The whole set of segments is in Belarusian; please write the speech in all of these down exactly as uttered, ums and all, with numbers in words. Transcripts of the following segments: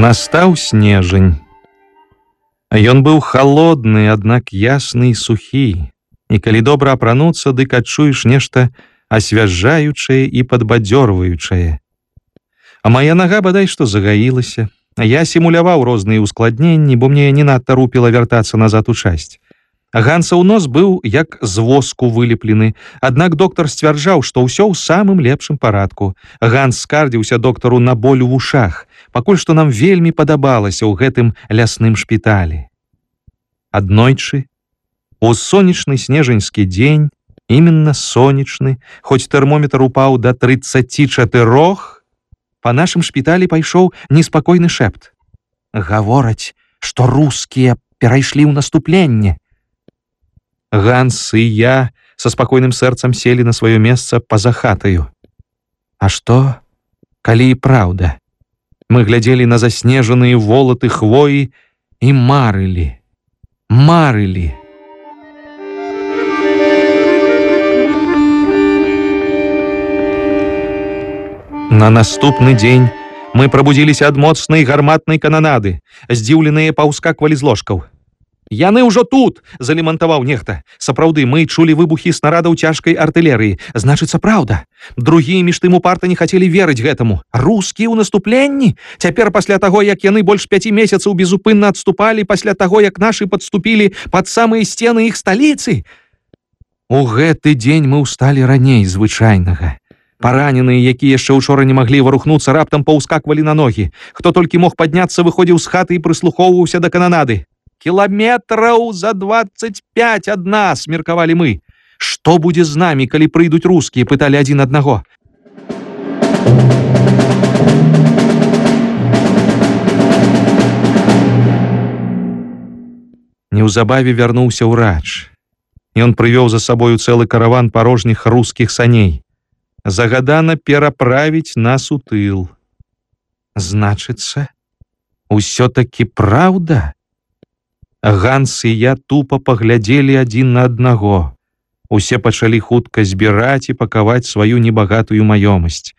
Настаў снежань. Ён быў халодны, аднак ясны і сухі. І калі добра апрануцца, дык адчуеш нешта асвяжаючае і падбадзёрваючае. А мая нага бадай што загаілася. Я сімуляваў розныя ускладненні, бо мне не надта рупіла вяртацца назад у часць. Гансаў нос быў як з воску вылеплены, аднак доктар сцвярджаў, што ўсё ў самым лепшым парадку. Ганс скардзіўся доктару на боль у вушах, пакуль што нам вельмі падабалася ў гэтым лясным шпіталі. Аднойчы, у сонечны снежаньскі дзень, іменна сонечны, хоць тэрмометр упаў да трыццаці чатырох, па нашым шпіталі пайшоў неспакойны шэпт. Гавораць, што рускія перайшлі ў наступленне. Ганс і я са спакойным сэрцам селі на сваё месца па-за хатаю. А што, калі і праўда? Мы глядзелі на заснежаныя волаты хвоі і марылі, марылі. На наступны дзень мы прабудзіліся ад моцнай гарматнай кананады, здзіўленыя паўскаквалі з ложкаў. «Яны ўжо тут!» – залемантаваў нехта. Сапраўды, мы чулі выбухі снарадаў цяжкай артылерыі. Значыцца, праўда. Другія між тым упарта не хацелі верыць гэтаму. Рускія ў наступленні? Цяпер пасля таго, як яны больш пяці месяцаў безупынна адступалі, пасля таго, як нашы падступілі пад самыя сцены іх сталіцы? У гэты дзень мы ўсталі раней звычайнага. Параненыя, якія яшчэ учора не маглі варухнуцца, раптам паўскаквалі на ногі. Хто толькі мог падняцца, выходзіў з хаты і прыслухоўваўся да кананады. «Кіламетраў за дваццаць пяць ад нас!» – меркавалі мы. «Што будзе з намі, калі прыйдуць рускія?» – пыталі адзін аднаго. Неўзабаве вярнуўся ўрач. Ён прывёў за сабою цэлы караван парожніх рускіх саней. Загадана пераправіць нас у тыл. Значыцца, усё-такі праўда? Ганс і я тупа паглядзелі адзін на аднаго. Усе пачалі хутка збіраць і пакаваць сваю небагатую маёмасць.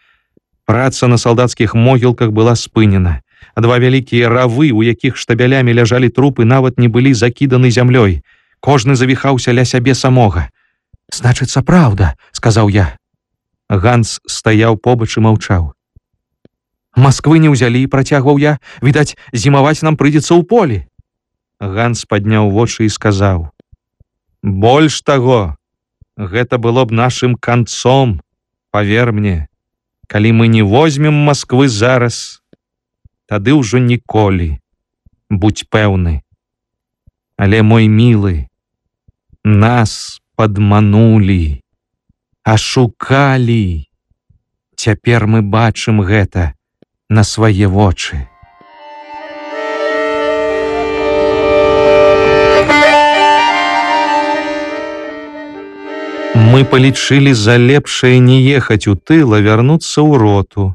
Праца на салдацкіх могілках была спынена. Два вялікія равы, у якіх штабелямі ляжалі трупы, нават не былі закіданы зямлёй. Кожны завіхаўся ля сябе самога. «Значыцца, праўда», – сказаў я. Ганс стаяў побач і маўчаў. «Масквы не ўзялі», – працягваў я. «Відаць, зімаваць нам прыйдзецца ў полі». Ганс падняў вочы і сказаў: «Больш таго, гэта было б нашым канцом, павер мне. Калі мы не возьмем Масквы зараз, тады ўжо ніколі, будзь пэўны. Але, мой мілы, нас падманулі, ашукалі. Цяпер мы бачым гэта на свае вочы». Мы палічылі за лепшае не ехаць у тыл, а вярнуцца ў роту.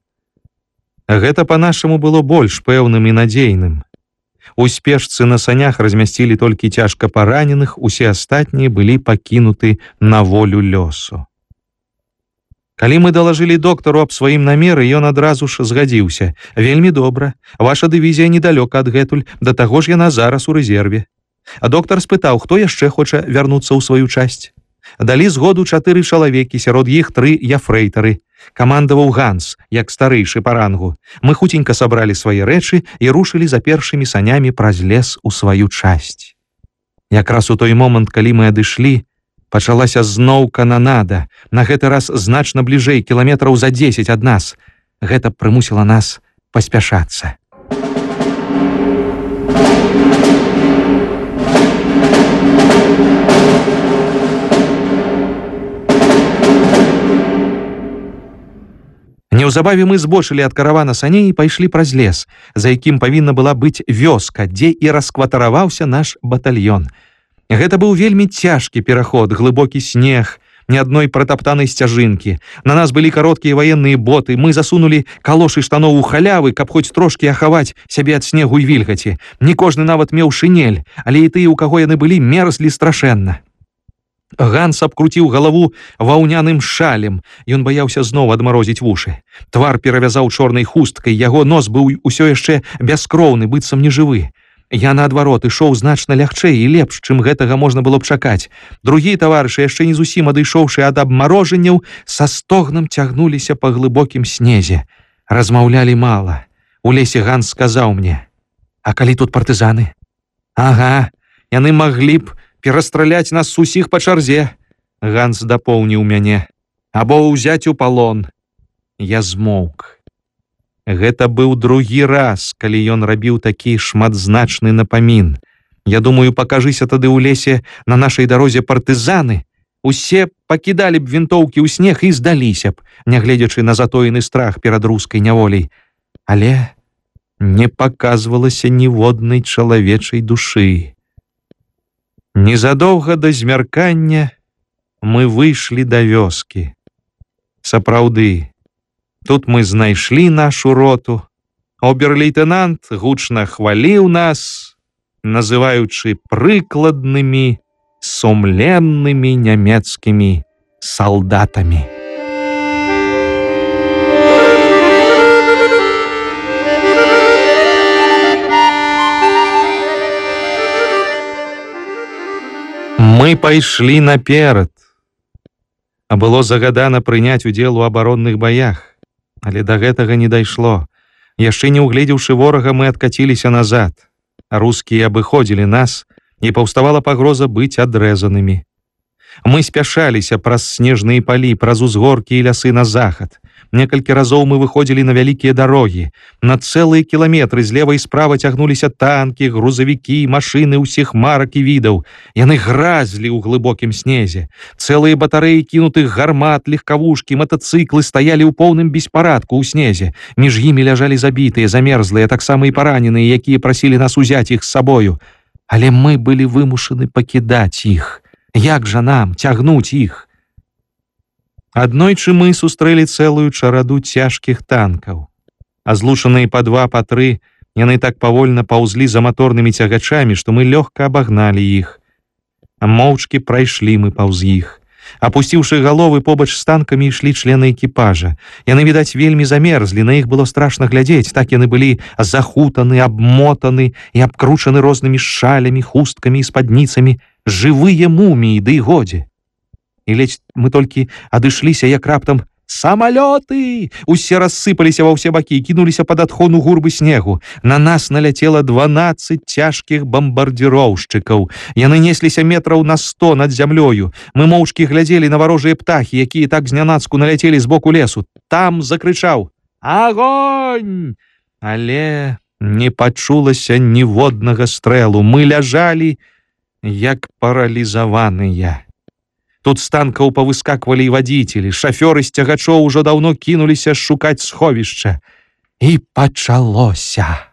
Гэта па-нашаму было больш пэўным і надзейным. У спешцы на санях размясцілі толькі цяжка параненых, усе астатнія былі пакінуты на волю лёсу. Калі мы далажылі доктару аб сваім намеры, ён адразу ж згадзіўся. «Вельмі добра, ваша дывізія недалёка адгэтуль, да таго ж яна зараз у рэзерве». А доктар спытаў, хто яшчэ хоча вярнуцца ў сваю часць. Далі згоду чатыры чалавекі, сярод іх тры яфрэйтары. Камандаваў Ганс, як старэйшы па рангу. Мы хуценька сабралі свае рэчы і рушылі за першымі санямі праз лес у сваю часць. Якраз у той момант, калі мы адышлі, пачалася зноў кананада, на гэты раз значна бліжэй, кіламетраў за дзесяць ад нас. Гэта прымусіла нас паспяшацца. Неўзабаве мы збочылі ад каравана саней і пайшлі праз лес, за якім павінна была быць вёска, дзе і раскватараваўся наш батальён. Гэта быў вельмі цяжкі пераход, глыбокі снег, ні адной пратаптанай сцяжынкі. На нас былі кароткія ваенныя боты, мы засунулі калошы штаноў у халявы, каб хоць трошкі ахаваць сябе ад снегу і вільгаці. Не кожны нават меў шынель, але і тыя, у каго яны былі, мерзлі страшэнна. Ганс абкруціў галаву ваўняным шалем. Ён баяўся зноў адмарозіць вушы. Твар перавязаў чорнай хусткай, яго нос быў усё яшчэ бяскроўны, быццам нежывы. Я, наадварот, ішоў значна лягчэй і лепш, чым гэтага можна было б чакаць. Другія таварышы, яшчэ не зусім адышоўшы ад абмарожанняў, са стогнам цягнуліся па глыбокім снезе. Размаўлялі мала. У лесе Ганс сказаў мне: «А калі тут партызаны?» «Ага, яны маглі б перастраляць нас усіх па чарзе», — Ганс дапоўніў мяне, «або ўзяць у палон». Я змоўк. Гэта быў другі раз, калі ён рабіў такі шматзначны напамін. Я думаю, пакажыся тады ў лесе на нашай дарозе партызаны, усе пакідалі б вінтоўкі ў снег і здаліся б, нягледзячы на затоены страх перад рускай няволяй. Але не паказвалася ніводнай чалавечай душы. Незадоўга да змяркання мы выйшлі да вёскі. Сапраўды, тут мы знайшлі нашу роту. Обер-лейтенант гучна хваліў нас, называючы прыкладнымі, сумленнымі нямецкімі салдатамі. Мы пайшлі наперад. А было загадана прыняць удзел у абаронных баях, але да гэтага не дайшло. Яшчэ не угледзеўшы ворага, мы адкаціліся назад. Рускія абыходзілі нас, і паўставала пагроза быць адрэзанымі. Мы спяшаліся праз снежныя палі, праз узгоркі і лясы на захад. Некалькі разоў мы выходзілі на вялікія дарогі. На цэлыя кіламетры злева і справа цягнуліся танкі, грузавікі, машыны ўсіх марак і відаў. Яны гразлі ў глыбокім снезе. Цэлыя батарэі кінутых гармат, легкавушкі, матацыклы стаялі ў поўным беспарадку ў снезе. Між імі ляжалі забітыя, замерзлыя, таксама і параненыя, якія прасілі нас узяць іх з сабою. Але мы былі вымушаны пакідаць іх. Як жа нам цягнуць іх? Аднойчы мы сустрэлі цэлую чараду цяжкіх танкаў. А злучаныя па два, па тры, яны так павольна паўзлі за маторнымі цягачамі, што мы лёгка абагналі іх. Моўчкі прайшлі мы паўз іх. Апусціўшы галовы, побач з танкамі ішлі члены экіпажа. Яны, відаць, вельмі замерзлі, на іх было страшна глядзець, так яны былі захутаны, абмотаны і абкручаны рознымі шалямі, хусткамі і спадніцамі, жывыя муміі, ды і годзе. І ледзь мы толькі адышліся, як раптам «Самалёты!» Усе рассыпаліся ва ўсе бакі і кінуліся пад адхону гурбы снегу. На нас наляцела дванаццаць цяжкіх бамбардзіроўшчыкаў. Яны несліся метраў на сто над зямлёю. Мы моўчкі глядзелі на варожыя птахі, якія так знянацку наляцелі з боку лесу. Там закрычаў «Агонь!» Але не пачулася ніводнага стрэлу. Мы ляжалі, як паралізаваныя. Тут з танкаў павыскаквалі і вадзіцелі, шафёры з цягачоў ужо даўно кінуліся шукаць сховішча. І пачалося.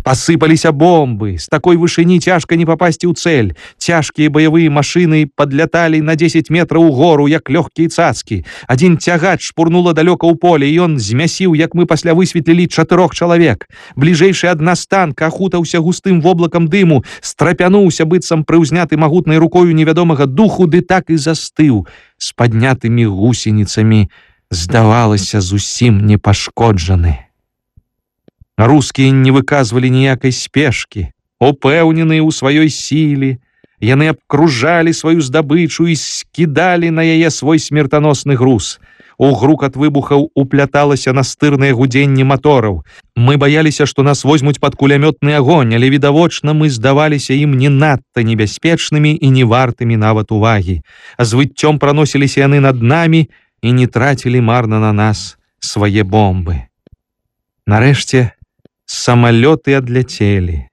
Пасыпаліся бомбы. З такой вышыні цяжка не папасці ў цэль. Цяжкія баявыя машыны падляталі на дзесяць метраў угору, як лёгкія цацкі. Адзін цягач шпурнула далёка ў поле, і ён змясіў, як мы пасля высветлілі, чатырох чалавек. Бліжэйшы ад нас танк ахутаўся густым воблакам дыму, страпянуўся, быццам прыўзняты магутнай рукою невядомага духу, ды так і застыў з паднятымі гусеніцамі, здавалася, зусім непашкоджаны. Рускія не выказвалі ніякай спешкі, упэўненыя ў сваёй сіле. Яны абкружалі сваю здабычу і скідалі на яе свой смертаносны груз. У грукат выбухаў упляталася настырнае гудзенне матораў. Мы баяліся, што нас возьмуць пад кулямётны агонь, але відавочна мы здаваліся ім не надта небяспечнымі і не вартымі нават увагі. З выццём праносіліся яны над намі і не трацілі марна на нас свае бомбы. Нарэшце, самалёты адляцелі.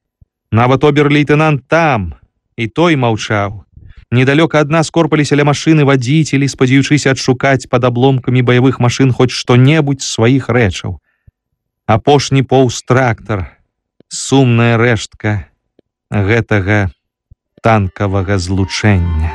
Нават обер-лейтенант там, і той маўчаў. Недалёка ад нас корпаліся ля машыны вадзіцелі, спадзяючыся адшукаць пад абломкамі баявых машын хоць што-небудзь з сваіх рэчаў. Апошні поўз трактар, сумная рэштка гэтага танкавага злучэння.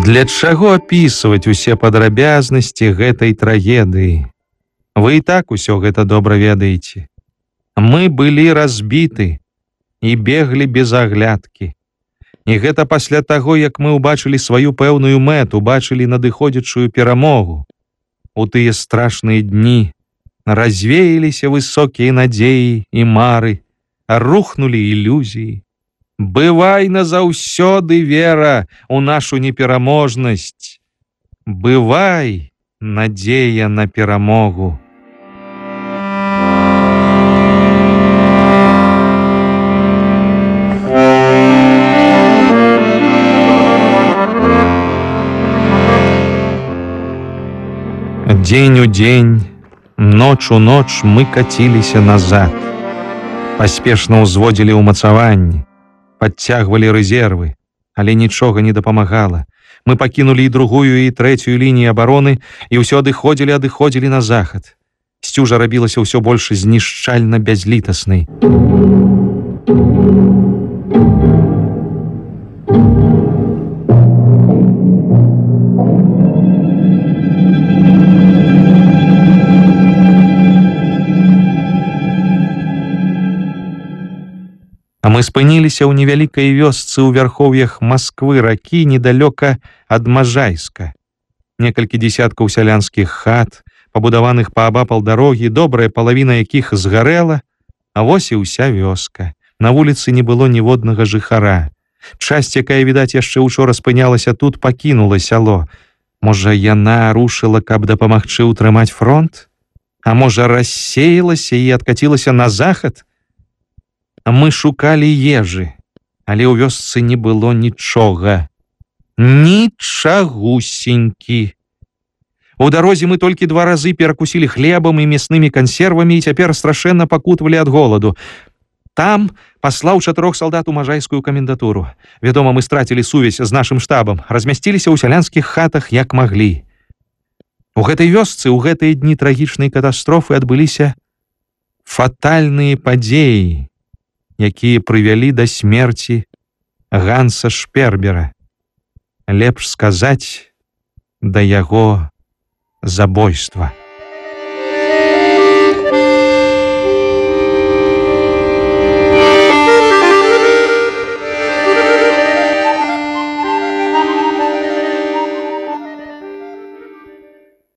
Для чаго апісваць усе падрабязнасці гэтай трагедыі? Вы і так усё гэта добра ведаеце. Мы былі разбіты і беглі без аглядкі. І гэта пасля таго, як мы ўбачылі сваю пэўную мэту, бачылі надыходзячую перамогу. У тыя страшныя дні развеяліся высокія надзеі і мары, рухнулі ілюзіі. Бывай назаўсёды, вера, у нашу непераможнасць. Бывай, надзея на перамогу. Дзень у дзень, ноч у ноч мы каціліся назад. Паспешна ўзводзілі ўмацаванні, подцягвалі рэзервы, але нічога не дапамагала. Мы пакінулі і другую, і трэцюю лініі абароны, і ўсё адыходзілі, адыходзілі на захад. Сцюжа рабілася ўсё больш знішчальна бязлітаснай. А мы спыніліся ў невялікай вёсцы ў вярхоўях Масквы ракі недалёка ад Можайска. Некалькі дзесяткаў сялянскіх хат, пабудаваных паабапал дарогі, добрая палавіна якіх згарэла, а вось і ўся вёска. На вуліцы не было ніводнага жыхара. Часць, якая, відаць, яшчэ учора спынялася тут, пакінула сяло. Можа, яна рушыла, каб дапамагчы ўтрымаць фронт? А можа, рассеялася і адкацілася на захад? Мы шукалі ежы, але ў вёсцы не было нічога. Нічагусенькі. У дарозе мы толькі два разы перакусілі хлебам і мяснымі кансервамі і цяпер страшэнна пакутвалі ад голаду. Там паслаў чатырох салдат у Можайскую камендатуру. Вядома, мы страцілі сувязь з нашым штабам, размясціліся ў сялянскіх хатах як маглі. У гэтай вёсцы ў гэтыя дні трагічнай катастрофы адбыліся фатальныя падзеі, якія прывялі да смерці Ганса Шпербера. Лепш сказаць, да яго забойства.